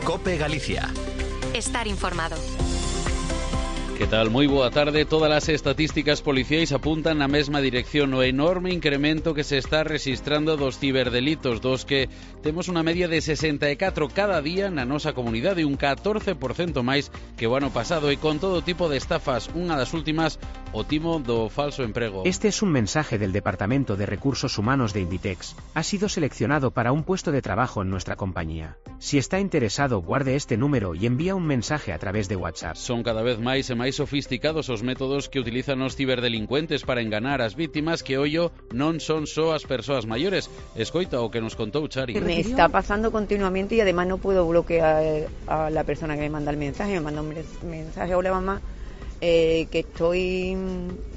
COPE Galicia. Estar informado. Que tal? Moi boa tarde. Todas as estatísticas policiais apuntan na mesma dirección, o enorme incremento que se está registrando dos ciberdelitos, dos que temos unha media de 64 cada día na nosa comunidade, un 14% máis que o ano pasado, e con todo tipo de estafas. Unha das últimas, o timo do falso emprego. Este es un mensaje del Departamento de Recursos Humanos de Inditex. Ha sido seleccionado para un puesto de trabajo en nuestra compañía. Si está interesado, guarde este número y envía un mensaje a través de WhatsApp. Son cada vez máis e máis sofisticados os métodos que utilizan os ciberdelincuentes para enganar as vítimas, que ollo non son só as persoas maiores. Escoita o que nos contou Chari. Me está pasando continuamente y además no puedo bloquear a la persona que me manda el mensaje. Me manda un mensaje: hola mamá, que estoy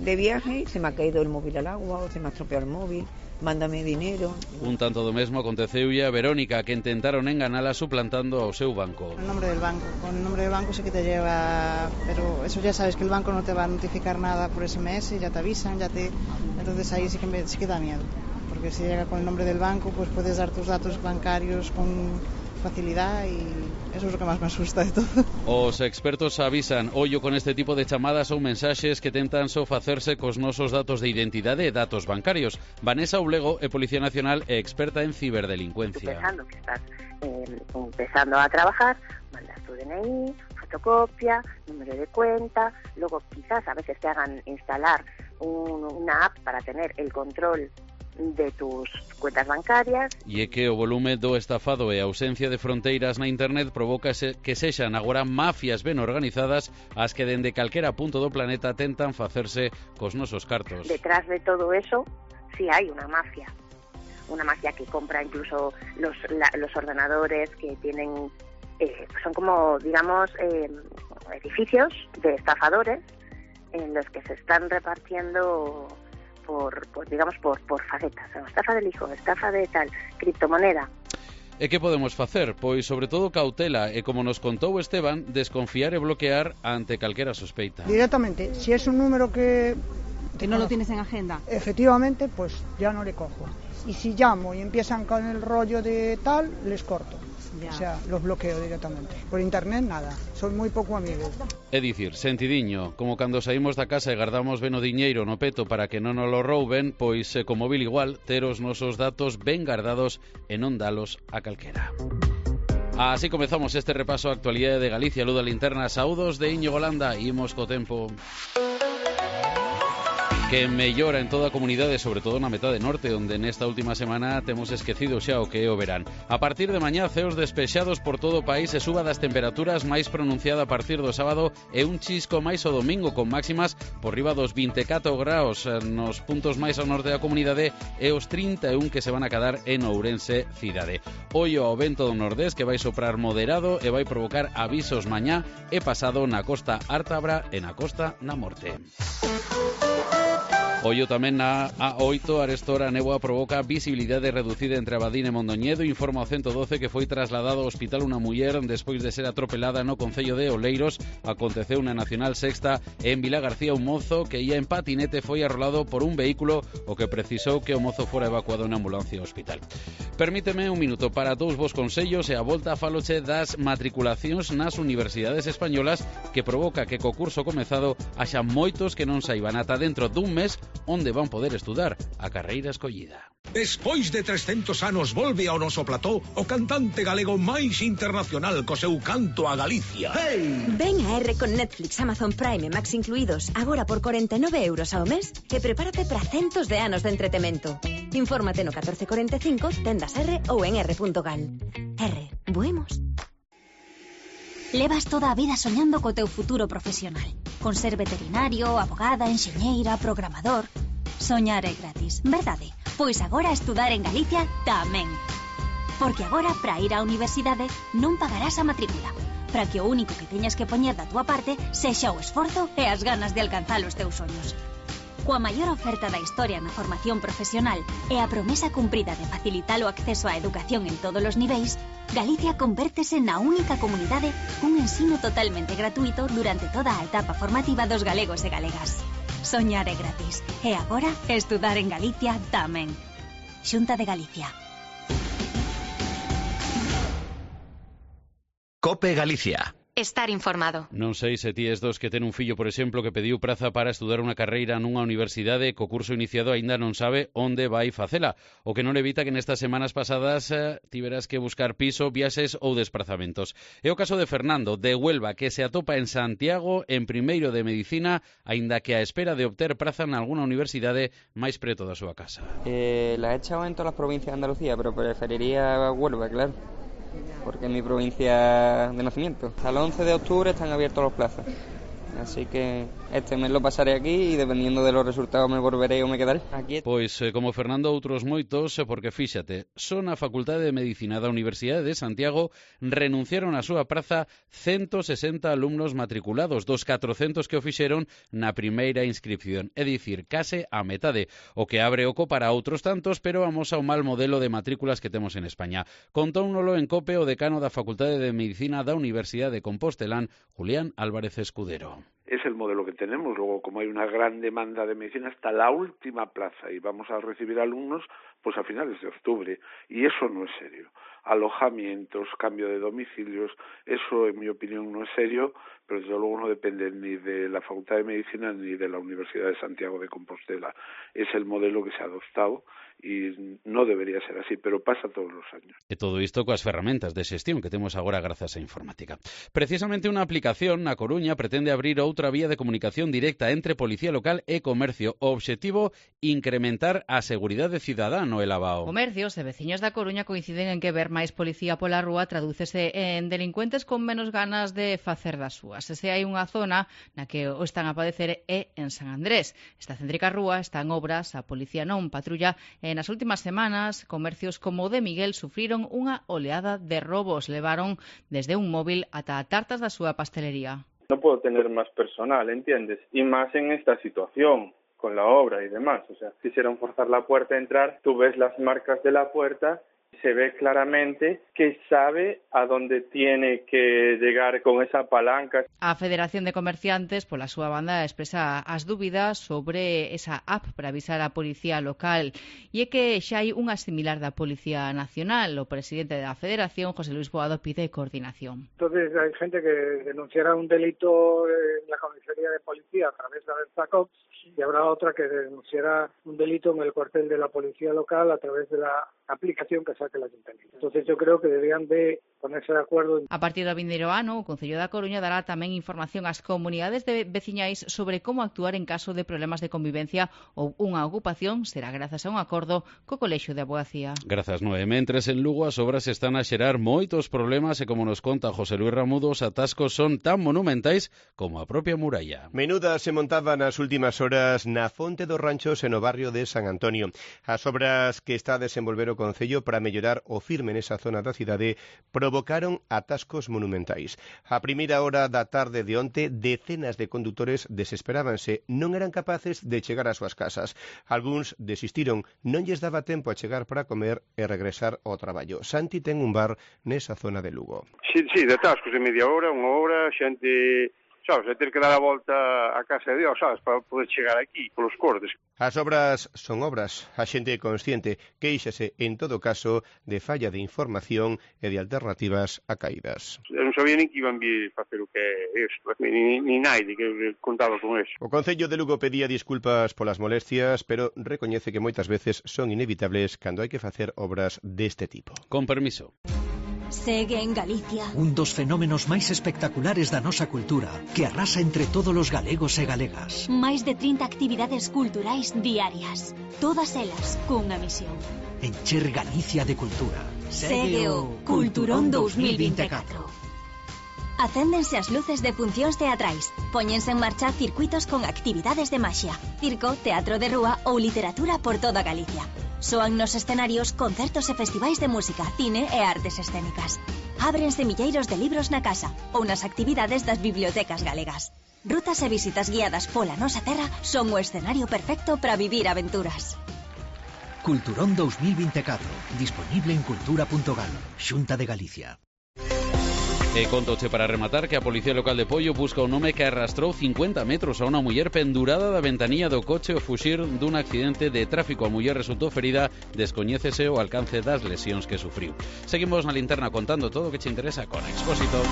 de viaje, se me ha caído el móvil al agua o se me ha estropeado el móvil, mándame dinero. Un tanto do mesmo aconteceulle a Verónica, que intentaron enganala suplantando ao seu banco. El nombre del banco, con el nombre del banco sí que te lleva, pero eso ya sabes que el banco no te va a notificar nada por SMS, ya te avisan, entonces ahí sí que da miedo, porque si llega con el nombre del banco, pues puedes dar tus datos bancarios con facilidad y eso es lo que más me asusta de todo. Os expertos avisan, ollo con este tipo de chamadas ou mensaxes que tentan sofacerse cos nosos datos de identidade e datos bancarios. Vanessa Oblego é Policía Nacional e experta en ciberdelincuencia. Pensando que estás empezando a trabajar, mandas tu DNI, fotocopia, número de cuenta, luego quizás a veces te hagan instalar una app para tener el control de tus cuentas bancarias. E é que o volume do estafado e a ausencia de fronteiras na internet provoca que sexan agora mafias ben organizadas as que dende calquera punto do planeta tentan facerse cos nosos cartos. Detrás de todo eso sí hay una mafia que compra incluso los ordenadores que tienen, son como, digamos, edificios de estafadores en los que se están repartiendo por facetas, estafa del hijo, estafa de tal, criptomoneda. E que podemos facer? Pois sobre todo cautela e, como nos contou Esteban, desconfiar e bloquear ante calquera sospeita. Directamente, si es un número que no lo tienes en agenda, efectivamente, pues ya no le cojo. Y si llamo y empiezan con el rollo de tal, les corto. Ya. O sea, los bloqueo directamente. Por internet, nada. Soy muy poco amigo. É dicir, sentidiño, como cando saímos da casa e guardamos ben o diñeiro no peto para que non nos lo rouben, pois co móvil igual, ter os nosos datos ben guardados e non dalos a calquera. Así comezamos este repaso á actualidade de Galicia. Luz da Linterna, saúdos de Íñigo Landa. Imos co tempo que mellora en toda a comunidade, sobre todo na metade norte, onde nesta última semana temos esquecido xa o que é o verán. A partir de mañá, ceos despexados por todo o país e suba das temperaturas máis pronunciada a partir do sábado e un chisco máis o domingo, con máximas por riba dos 24 graus nos puntos máis ao norte da comunidade e os 31 que se van a quedar en Ourense cidade. Ollo ao vento do nordés, que vai soprar moderado e vai provocar avisos mañá e pasado na costa ártabra e na costa na morte. Ollo tamén na A8, arestora a néboa provoca visibilidade reducida entre Abadín e Mondoñedo. Informa o 112 que foi trasladado ao hospital unha muller despois de ser atropelada no concello de Oleiros. Aconteceu na Nacional Sexta en Vila García. Un mozo que ia en patinete foi arrolado por un vehículo, o que precisou que o mozo fora evacuado en ambulancia ao hospital. Permíteme un minuto para dous vos consellos e a volta faloche das matriculacións nas universidades españolas, que provoca que co curso comezado haxa moitos que non saiban ata dentro dun mes onde van poder estudar a carreira escollida. Despois de 300 anos volve ao noso plató o cantante galego máis internacional co seu canto a Galicia. Hey! Ven a R con Netflix, Amazon Prime e Max incluídos, agora por 49 euros ao mes, e prepárate para centos de anos de entretemento. Infórmate no 1445, tendas R ou en r.gal. R, buemos. Levas toda a vida soñando co teu futuro profesional, con ser veterinario, abogada, enxeñeira, programador. Soñar é gratis, verdade? Pois agora estudar en Galicia tamén. Porque agora, para ir á universidade, non pagarás a matrícula, para que o único que teñas que poñer da túa parte sexa o esforzo e as ganas de alcanzar os teus soños. Coa maior oferta da historia na formación profesional e a promesa cumprida de facilitar o acceso á educación en todos os niveis, Galicia convértese na única comunidade cun ensino totalmente gratuito durante toda a etapa formativa dos galegos e galegas. Soñar é gratis. E agora, estudar en Galicia tamén. Xunta de Galicia. COPE Galicia. Estar informado. Non sei se ti es dos que ten un fillo, por exemplo, que pediu praza para estudar unha carreira nunha universidade co curso iniciado aínda non sabe onde vai facela, o que non evita que nestas semanas pasadas tiveras que buscar piso, viaxes ou desplazamentos. É o caso de Fernando, de Huelva, que se atopa en Santiago en primeiro de Medicina, aínda que a espera de obter praza en algunha universidade máis preto da súa casa. La he echado en todas las provincias de Andalucía, pero preferiría Huelva, claro, porque es mi provincia de nacimiento. Hasta el 11 de octubre están abiertos los plazos, así que este mes lo pasaré aquí y dependiendo de los resultados me volveré o me quedaré aquí. Pois, como Fernando, outros moitos, porque fíxate, son a Facultade de Medicina da Universidade de Santiago renunciaron a súa praza 160 alumnos matriculados, dos 400 que o fixeron na primeira inscripción, é dicir, case a metade, o que abre oco para outros tantos, pero vamos ao mal modelo de matrículas que temos en España. Contóunolo en COPE o decano da Facultade de Medicina da Universidade de Compostelán, Julián Álvarez Escudero. Es el modelo que tenemos. Luego, como hay una gran demanda de medicina, hasta la última plaza y vamos a recibir alumnos pues a finales de octubre. Y eso no es serio. Alojamientos, cambio de domicilios, eso en mi opinión no es serio, pero desde luego no depende ni de la Facultad de Medicina ni de la Universidad de Santiago de Compostela. Es el modelo que se ha adoptado y no debería ser así, pero pasa todos los años. E todo isto coas ferramentas de xestión que temos agora grazas á informática. Precisamente unha aplicación na Coruña pretende abrir outra vía de comunicación directa entre policía local e comercio. O obxectivo, incrementar a seguridade cidadá no Elabao. Comercios e veciños da Coruña coinciden en que ver máis policía pola rúa tradúcese en delincuentes con menos ganas de facer das súas. E se hai unha zona na que o están a padecer é en San Andrés. Esta céntrica rúa está en obras, a policía non patrulla e nas últimas semanas comercios como o de Miguel sufriron unha oleada de robos. Levaron desde un móvil ata tartas da súa pastelería. No puedo tener más personal, ¿entiendes? Y más en esta situación, con la obra y demás. O sea, quisieron forzar la puerta a entrar, tú ves las marcas de la puerta, se ve claramente que sabe a dónde tiene que llegar con esa palanca. A Federación de Comerciantes, pola súa banda, expresa as dúbidas sobre esa app para avisar a Policía Local. E é que xa hai unha similar da Policía Nacional. O presidente da Federación, José Luis Boado, pide coordinación. Entonces hay gente que denunciará un delito en la comisaría de policía a través de Abertacop y habrá otra que denunciará un delito en el cuartel de la Policía Local a través de la aplicación que saque el Ayuntamiento. Entonces yo creo que deberían de ponerse de acuerdo. A partir do vindeiro ano, o Concello da Coruña dará tamén información ás comunidades de veciñais sobre como actuar en caso de problemas de convivencia ou unha ocupación. Será grazas a un acordo co Colexio de Abogacía. Grazas, Noé. Mentres en Lugo as obras están a xerar moitos problemas e, como nos conta José Luis Ramudo, os atascos son tan monumentais como a propia muralla. Menuda se montaba nas últimas horas na Fonte dos Ranchos e no barrio de San Antonio. As obras que está a desenvolver o Concello para mellorar o firme nesa zona da cidade provocaron atascos monumentais. A primeira hora da tarde de onte, decenas de condutores desesperábanse, non eran capaces de chegar ás súas casas. Algúns desistiron, non lles daba tempo a chegar para comer e regresar ao traballo. Santi ten un bar nesa zona de Lugo. Sí, de atascos de media hora, unha hora, xente... sabes, é ter que dar a volta a casa de Dios, sabes, para poder chegar aquí, polos cortes. As obras son obras, a xente é consciente, queixase, en todo caso, de falla de información e de alternativas a caídas. Eu non sabía nin que iban vir facer o que é isto, ni naide que contaba con eso. O Concello de Lugo pedía disculpas polas molestias, pero recoñece que moitas veces son inevitables cando hai que facer obras deste tipo. Con permiso. Segue en Galicia un dos fenómenos máis espectaculares da nosa cultura que arrasa entre todos os galegos e galegas. Máis de 30 actividades culturais diarias, todas elas cunha misión: encher Galicia de cultura. Segue o Culturón 2024. Acéndense as luces de funcións teatrais, póñense en marcha circuitos con actividades de maxia, circo, teatro de rúa ou literatura por toda Galicia. Soan nos escenarios concertos e festivais de música, cine e artes escénicas. Ábrense milleiros de libros na casa ou nas actividades das bibliotecas galegas. Rutas e visitas guiadas pola nosa terra son o escenario perfecto para vivir aventuras. Culturón 2024, disponible en cultura.gal, Xunta de Galicia. Contoche para rematar que a Policía Local de Pollo busca un home que arrastrou 50 metros a unha muller pendurada da ventanilla do coche ao fuxir dun accidente de tráfico. A muller resultou ferida, descoñécese o alcance das lesións que sufriu. Seguimos na linterna contando todo o que che interesa con Expósito.